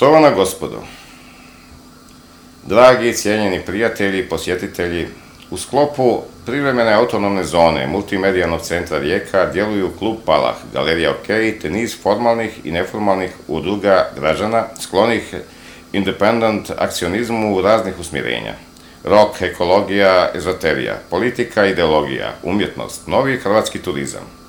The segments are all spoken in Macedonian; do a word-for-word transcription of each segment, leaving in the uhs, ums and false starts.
Štovana gospodo, dragi i cijenjeni prijatelji, posjetitelji, u sklopu privremene autonomne zone Multimedijalnog centra Rijeka djeluju Klub Palah, Galerija OK, te niz formalnih i neformalnih udruga građana sklonih independent akcionizmu raznih usmjerenja. Rock, ekologija, ezoterija, politika, ideologija, umjetnost, novi hrvatski turizam.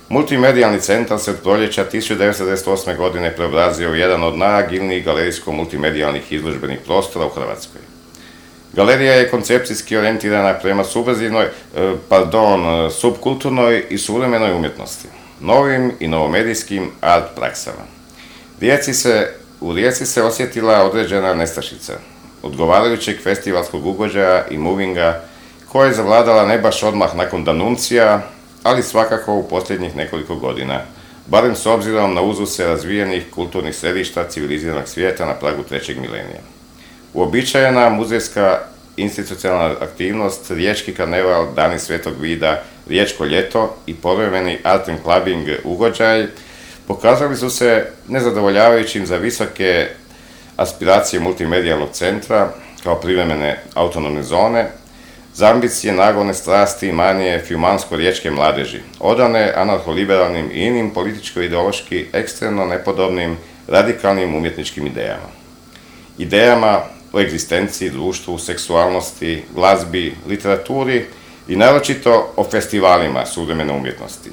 Multimedijalni centar se od proljeća tisuću devetsto devedeset osme. godine preobrazio u jedan od najagilnijih galerijsko-multimedijalnih izložbenih prostora u Hrvatskoj. Galerija je koncepcijski orijentirana prema subverzivnoj, pardon, subkulturnoj i suvremenoj umjetnosti, novim i novomedijskim art praksama. Rijeci se, u Rijeci se osjetila određena nestašica odgovarajućeg festivalskog ugođaja i movinga koja je zavladala ne baš odmah nakon Danuncija, ali svakako u posljednjih nekoliko godina, barem s obzirom na uzuse razvijenih kulturnih središta civiliziranog svijeta na pragu trećeg milenija. Uobičajena muzejska institucionalna aktivnost, riječki karneval, Dani Svetog Vida, Riječko ljeto i povremeni art and clubbing ugođaj pokazali su se nezadovoljavajućim za visoke aspiracije multimedijalnog centra kao privremene autonomne zone, za ambicije, nagone, strasti i manije fiumansko-riječke mladeži, odane anarcho-liberalnim i inim političko-ideološki ekstremno nepodobnim radikalnim umjetničkim idejama. Idejama o egzistenciji, društvu, seksualnosti, glazbi, literaturi i naročito o festivalima suvremene umjetnosti,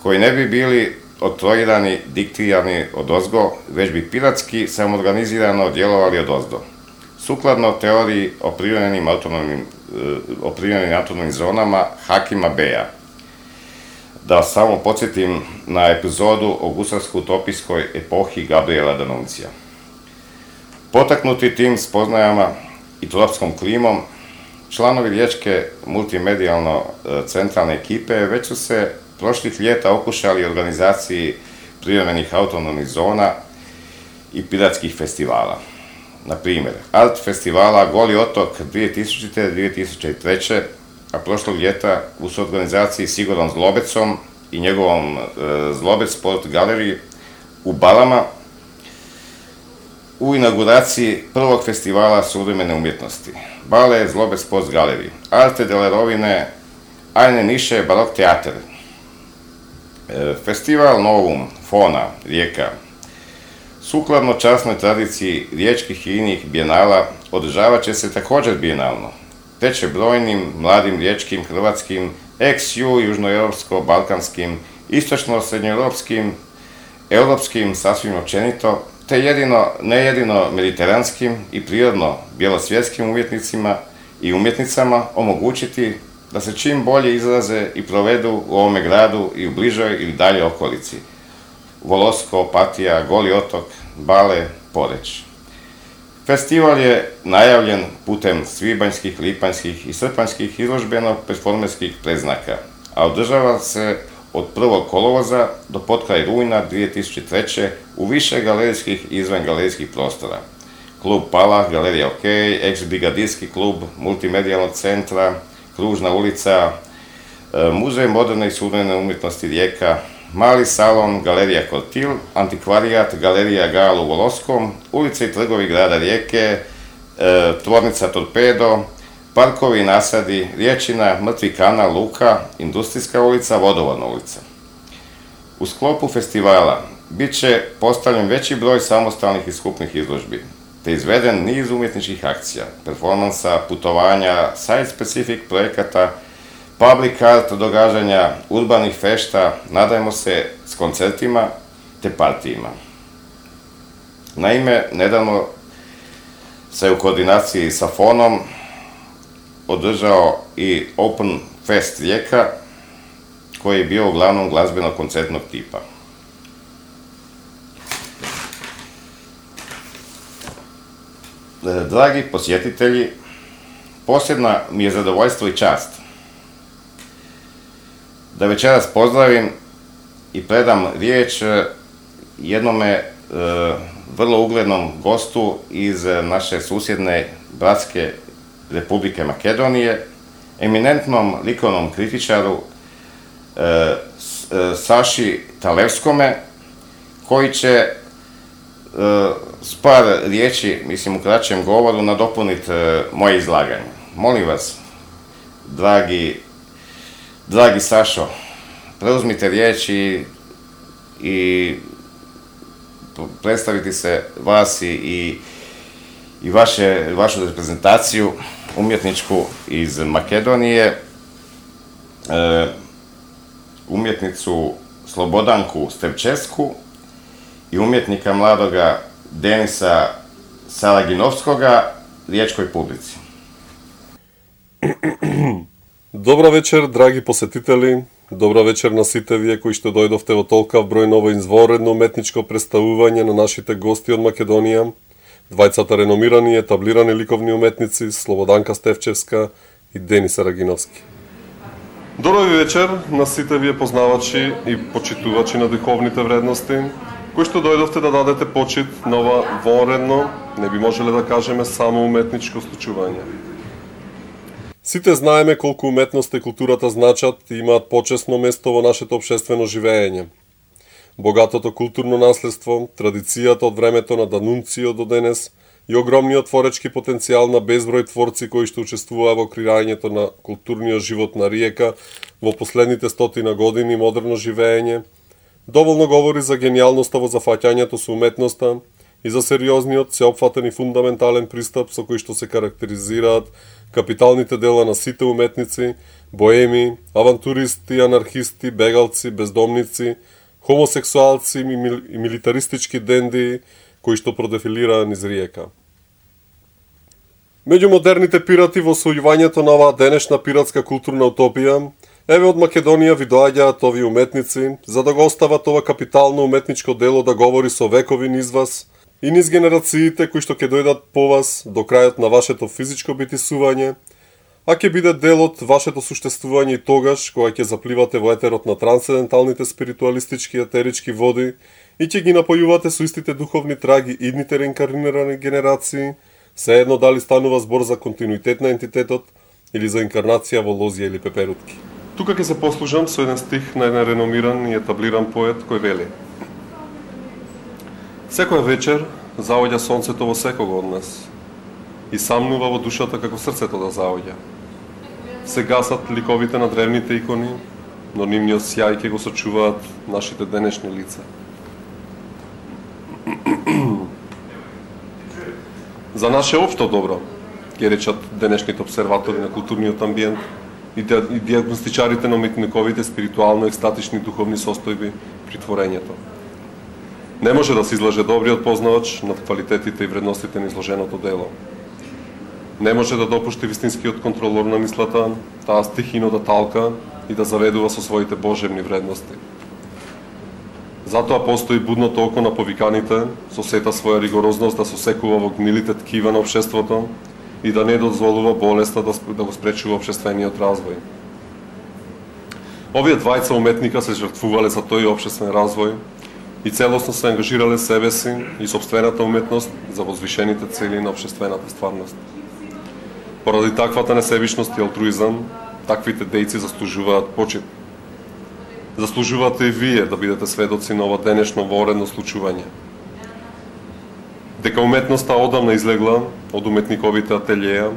koji ne bi bili oktroirani, diktirani odozgo, već bi piratski samoorganizirano djelovali odozdo. Sukladno teoriji o privremenim autonomnim, o privremenim autonomnim zonama Hakima Beja. Da samo podsjetim na epizodu o gusarsko-utopijskoj epohi Gabriela D'Annunzia. Potaknuti tim spoznajama i tropskom klimom, članovi riječke multimedijalno centralne ekipe već su se prošlih ljeta okušali organizaciji privremenih autonomnih zona i piratskih festivala. Na primjer, art festivala Goli otok dvije tisućite. do dvije tisuće treće. a prošlog ljeta u suorganizaciji s Igorom Zlobecom i njegovom e, Zlobec Sport Galeriji u Balama u inauguraciji prvog festivala suvremene umjetnosti. Bale Zlobec Sport Galeriji, Arte delle Rovine, Eine Nische Barok Teater. E, festival Novum, Fona, Rijeka. Sukladno časnoj tradiciji riječkih i inih bijenala održavat će se također bijenalno, te će brojnim mladim riječkim, hrvatskim, ex-ju, južnoeuropsko-balkanskim, istočno-srednjoeuropskim, europskim, sasvim općenito, te jedino, ne jedino mediteranskim i prirodno bjelosvjetskim umjetnicima i umjetnicama omogućiti da se čim bolje izraze i provedu u ovome gradu i u bližoj ili dalje okolici. Volosko, Opatija, Goli otok, Bale, Poreč. Festival je najavljen putem svibanjskih, lipanjskih i srpanjskih izložbeno-performerskih predznaka, a održava se od prvog kolovoza do potkraj rujna dvije tisuće treće. u više galerijskih i izvangalerijskih prostora. Klub Palah, Galerija OK, ex-brigadijski klub Multimedijalnog centra, Kružna ulica, Muzej moderne i suvremene umjetnosti Rijeka, Mali salon, Galerija Kortil, Antikvarijat, Galerija Gal u Voloskom, ulice i trgovi grada Rijeke, e, tvornica Torpedo, parkovi i nasadi, Riječina, Mrtvi kanal, Luka, Industrijska ulica, Vodovodna ulica. U sklopu festivala bit će postavljen veći broj samostalnih i skupnih izložbi, te izveden niz umjetničkih akcija, performansa, putovanja, site-specific projekata, public art događanja, urbanih fešta, nadajmo se s koncertima te partijima. Naime, nedavno se u koordinaciji sa Fonom održao i Open Fest Rijeka, koji je bio uglavnom glazbeno-koncertnog tipa. Dragi posjetitelji, posebna mi je zadovoljstvo i čast da večeras pozdravim i predam riječ jednome e, vrlo uglednom gostu iz naše susjedne bratske Republike Makedonije, eminentnom likovnom kritičaru e, Saši Talevskome, koji će e, s par riječi, mislim u kraćem govoru, nadopuniti moje izlaganje. Molim vas, dragi, dragi Sašo, preuzmite riječi i predstaviti se vas i, i vaše, vašu reprezentaciju umjetničku iz Makedonije, e, umjetnicu Slobodanku Stevčesku i umjetnika mladoga Denisa Saraginovskoga riječkoj publici. Добра вечер, драги посетители. Добра вечер на сите вие кои што дојдовте во толкав број ново изворедно уметничко представување на нашите гости од Македонија, двајцата реномирани и етаблирани ликовни уметници Слободанка Стевчевска и Денис Сарагиновски. Добра вечер на сите вие познавачи и почитувачи на духовните вредности, кои што дојдовте да дадете почит на ова вонредно, не би можеле да кажеме само уметничко случување. Сите знаеме колку уметноста и културата значат и имаат почесно место во нашето општествено живење. Богатото културно наследство, традицијата од времето на Данунцио до денес и огромниот творечки потенцијал на безброј творци кои што учествуваа во креирањето на културниот живот на Риека во последните стотина години модерно живење, доволно говори за генијалноста во зафаќањето со уметноста и за сериозниот, сеопфатен и фундаментален пристап со кој што се карактеризираат капиталните дела на сите уметници, боеми, авантуристи, анархисти, бегалци, бездомници, хомосексуалци и милитаристички дендии кои што продефилираа низ Риека. Меѓу модерните пирати во освојувањето на оваа денешна пиратска културна утопија, еве од Македонија ви доаѓаат овие уметници за да го остават ова капитално уметничко дело да говори со векови низ вас и низ генерациите кои што ќе дојдат по вас до крајот на вашето физичко битисување, а ќе биде дел од вашето суштествување и тогаш кога ќе запливате во етерот на трансценденталните спиритуалистички етерички води и ќе ги напојувате со истите духовни траги идните реинкарнирани генерации, се едно дали станува збор за континуитет на ентитетот или за инкарнација во лозија или пеперутки. Тука ќе се послужам со еден стих на еден реномиран и етаблиран поет кој вели: Секоја вечер заоѓа сонцето во секого од нас и самнува во душата како срцето да заоѓа. Се гасат ликовите на древните икони, но нивниот сјај ќе го сочуваат нашите денешни лица. За наше општо добро, ќе речат денешните обсерватори на културниот амбиент и диагностичарите на уметниковите спиритуално-екстатични духовни состојби при творењето. Не може да се излаже добриот познавач над квалитетите и вредностите на изложеното дело. Не може да допушти вистинскиот контролор на мислата, таа стихино да талка и да заведува со своите божевни вредности. Затоа постои будното око на повиканите, со сета своја ригорозност да сосекува во гнилите ткива на општеството и да не дозволува болеста да, да го спречува општествениот развој. Овие двајца уметника се жртвувале за тој општествен развој и целосно се ангажирале себе си и собствената уметност за возвишените цели на општествената стварност. Поради таквата несебичност и алтруизам, таквите дејци заслужуваат почит. Заслужувате и вие да бидете сведоци на ова денешно воредно случување. Дека уметноста одамна излегла од уметниковите ателјеја,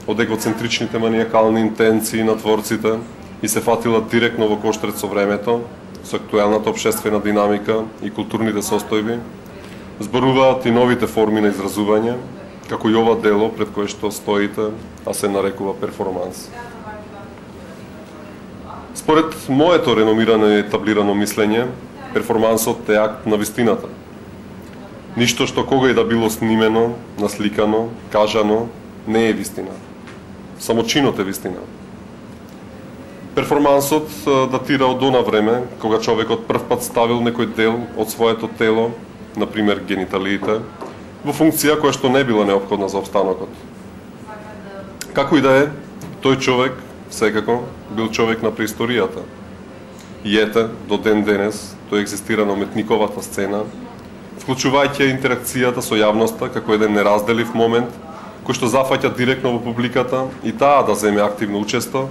од егоцентричните маниакални интенции на творците и се фатила директно во коштрет со времето, со актуелната општествена динамика и културните состојби, зборуваат и новите форми на изразување, како и ова дело пред кое што стоите, а се нарекува перформанс. Според моето реномирано и етаблирано мислење, перформансот е акт на вистината. Ништо што кога и да било снимено, насликано, кажано, не е вистина. Само чинот е вистина. Перформансот датира од она време, кога човекот прв пат ставил некој дел од своето тело, например гениталиите, во функција која што не била неопходна за обстанокот. Како и да е, тој човек, секако, бил човек на преисторијата. И ете, до ден денес, тој екзистира на уметниковата сцена, вклучувајќи интеракцијата со јавноста како еден неразделив момент, кој што зафаќа директно во публиката и таа да земе активно учесто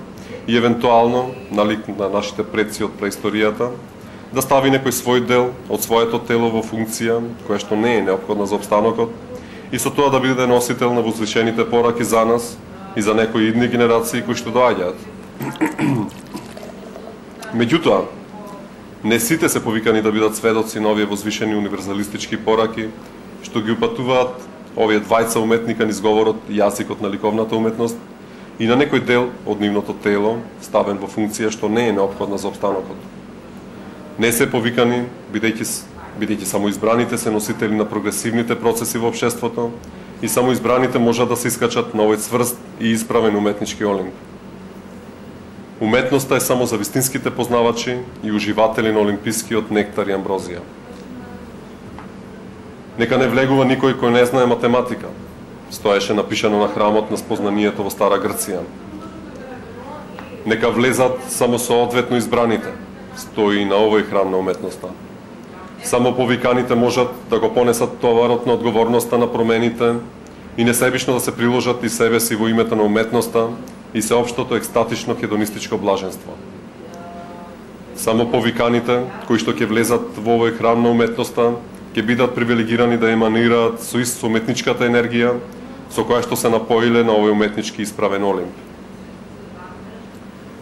и евентуално, налик на нашите предци од преисторијата, да стави некој свој дел од своето тело во функција која што не е неопходна за опстанокот и со тоа да биде носител на возвишените пораки за нас и за некои идни генерации кои што доаѓаат. Меѓутоа, не сите се повикани да бидат сведоци на овие возвишени универзалистички пораки што ги упатуваат овие двајца уметника низ говорот и јазикот на ликовната уметност и на некој дел од нивното тело ставен во функција што не е неопходна за опстанокот. Не се повикани, бидејќи бидејќи само избраните се носители на прогресивните процеси во општеството и само избраните можат да се искачат на овој цврст и исправен уметнички олимп. Уметноста е само за вистинските познавачи и уживатели на олимпискиот нектар и амброзија. Нека не влегува никој кој не знае математика, стоеше напишано на храмот на спознанието во Стара Грција. Нека влезат само соодветно избраните, стои и на овој храм на уметноста. Само повиканите можат да го понесат товарот на одговорноста на промените и несебично да се приложат и себе си во името на уметноста и сеопштото екстатично хедонистичко блаженство. Само повиканите, кои што ќе влезат во овој храм на уметноста, ќе бидат привилегирани да еманираат со ист со уметничката енергија со која што се напоиле на овој уметнички исправен олимп.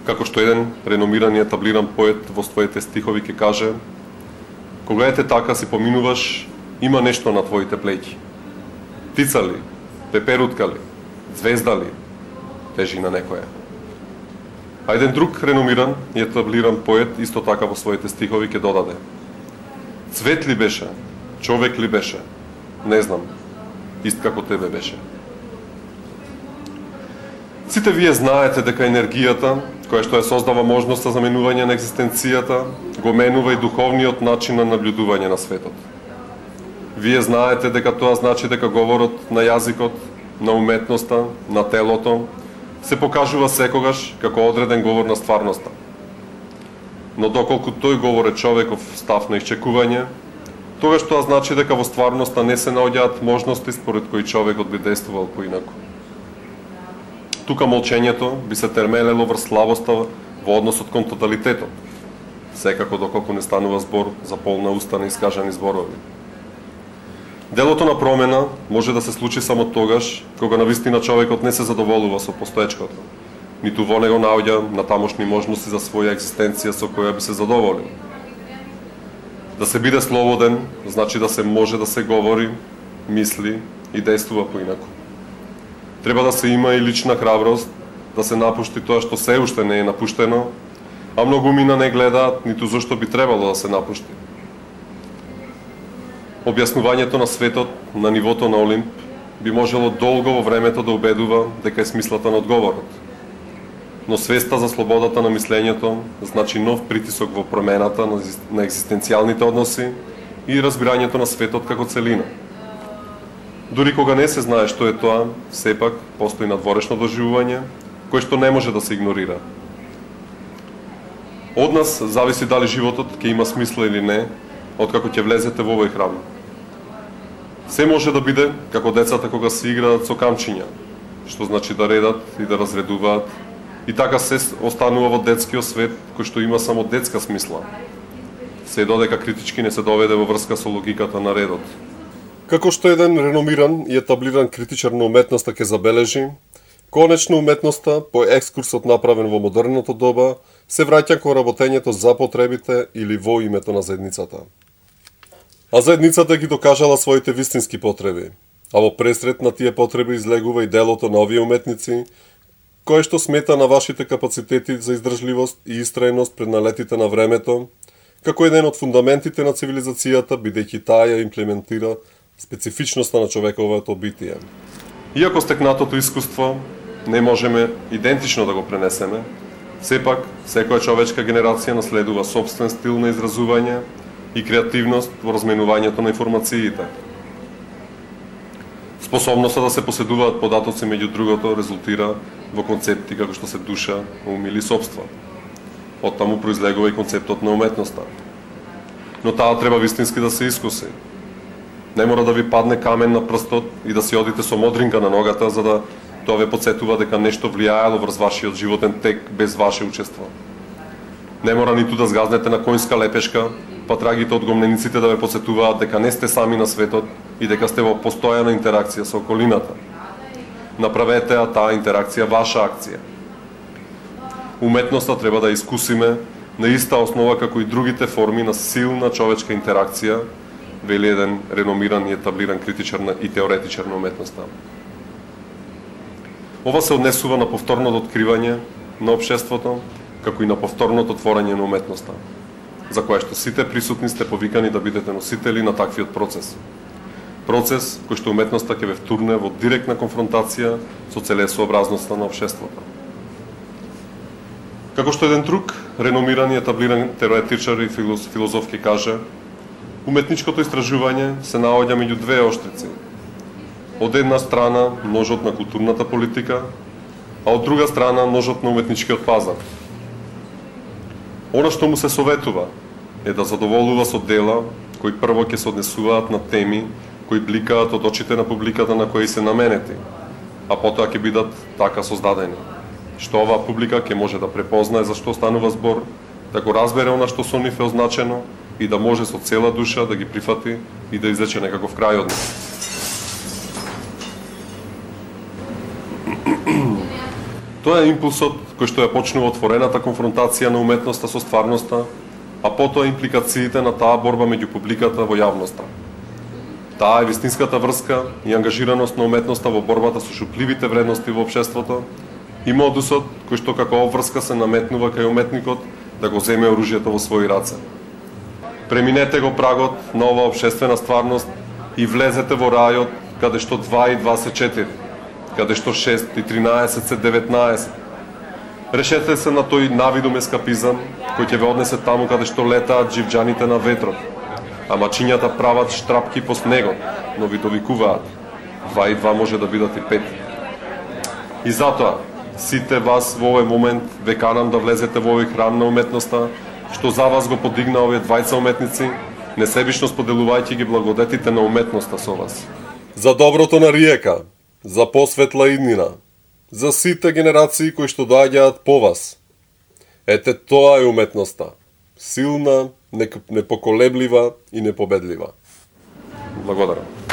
Како што еден реномиран и етаблиран поет во своите стихови ќе каже: кога ете така си поминуваш, има нешто на твоите плеќи. Птица ли, пеперутка ли, звезда ли, тежи на некоја. А еден друг реномиран и етаблиран поет исто така во своите стихови ќе додаде: цвет ли беше, човек ли беше, не знам, ист како тебе беше. Сите вие знаете дека енергијата, која што ја создава можност за заменување на екзистенцијата, го менува и духовниот начин на наблюдување на светот. Вие знаете дека тоа значи дека говорот на јазикот, на уметноста, на телото, се покажува секогаш како одреден говор на стварноста. Но доколку тој говор е човеков став на исчекување, тогаш тоа значи дека во стварноста не се наоѓаат можности според кои човекот би действувал поинаку. Тука молчењето би се термелело врз слабоста во односот кон тоталитетот, секако доколку не станува збор за полна уста на искажани зборови. Делото на промена може да се случи само тогаш кога навистина човекот не се задоволува со постоечкото, ниту во него наоѓа на тамошни можности за своја екзистенција со која би се задоволил. Да се биде слободен значи да се може да се говори, мисли и действува поинаку. Треба да се има и лична храброст, да се напушти тоа што се уште не е напуштено, а многумина не гледаат ниту зашто би требало да се напушти. Објаснувањето на светот на нивото на Олимп би можело долго во времето да убедува дека е смислата на одговорот. Но свеста за слободата на мислењето значи нов притисок во промената на екзистенцијалните односи и разбирањето на светот како целина. Дури кога не се знае што е тоа, сепак постои надворешно доживување, кое што не може да се игнорира. Од нас зависи дали животот ќе има смисла или не, откако ќе влезете во овој храм. Се може да биде како децата кога се играат со камчиња, што значи да редат и да разредуваат, и така се останува во детскиот свет кој што има само детска смисла, се додека критички не се доведе во врска со логиката на редот. Како што еден реномиран и етаблиран критичар на уметноста ќе забележи, конечно уметноста, по екскурсот направен во модерното доба, се враќа кон работењето за потребите или во името на заедницата. А заедницата ги докажала своите вистински потреби, а во пресред на тие потреби излегува и делото на овие уметници, кое што смета на вашите капацитети за издржливост и истрајност пред налетите на времето, како еден од фундаментите на цивилизацијата, бидејќи таа ја имплементира специфичноста на човековото битие. Иако стекнатото искуство не можеме идентично да го пренесеме, сепак секоја човечка генерација наследува собствен стил на изразување и креативност во разменувањето на информациите. Способноста да се поседуваат податоци меѓу другото резултира во концепти како што се душа, ум или собство. Од таму произлегува и концептот на уметноста. Но таа треба вистински да се искуси. Не мора да ви падне камен на прстот и да си одите со модринка на ногата за да тоа ве потсетува дека нешто влијаело врз вашиот животен тек без ваше учество. Не мора ниту да згазнете на конјска лепешка, па трагите од гомнениците да ве посетуваат дека не сте сами на светот и дека сте во постојана интеракција со околината. Направете таа интеракција ваша акција. Уметноста треба да искусиме на иста основа како и другите форми на силна човечка интеракција, вели еден реномиран и етаблиран критичар и теоретичар на уметноста. Ова се однесува на повторното откривање на општеството, како и на повторното творење на уметноста, за кое што сите присутни сте повикани да бидете носители на таквиот процес. Процес кој што уметноста ќе ве втурне во директна конфронтација со целесообразноста на општеството. Како што еден друг реномиран и етаблиран теоретичар и филозоф ќе каже, уметничкото истражување се наоѓа меѓу двеоштрици. Од една страна ножот на културната политика, а од друга страна ножот на уметничкиот пазар. Она што му се советува е да задоволува со дела кои прво ќе се однесуваат на теми кои бликаат од очите на публиката на кои се наменети, а потоа ќе бидат така создадени, што оваа публика ќе може да препознае за што станува збор, да го разбере она што со нив е означено и да може со цела душа да ги прифати и да извлече некаков крај од нив. Тоа е импулсот кој што ја почнува отворената конфронтација на уметноста со стварноста, а потоа импликациите на таа борба меѓу публиката во јавноста. Таа е вистинската врска и ангажираност на уметноста во борбата со шупливите вредности во општеството и модусот кој што како обврска се наметнува кај уметникот да го земе оружјето во своји раце. Преминете го прагот на оваа општествена стварност и влезете во рајот каде што два и два се четири, каде што шест и тринаесет се деветнаесет. Решете се на тој навидум ескапизам кој ќе ве однесе таму каде што летаат дживџаните на ветрот, а мачињата прават штрапки по снегот, но ви довикуваат. Два и два може да бидат и пет. И затоа, сите вас во овој момент ве канам да влезете во овој храм на уметноста, што за вас го подигна овие двајца уметници, несебично споделувајќи ги благодетите на уметноста со вас. За доброто на Риека, за посветла иднина, за сите генерации кои што доаѓаат по вас. Ете тоа е уметноста. Силна, непоколеблива и непобедлива. Благодарам.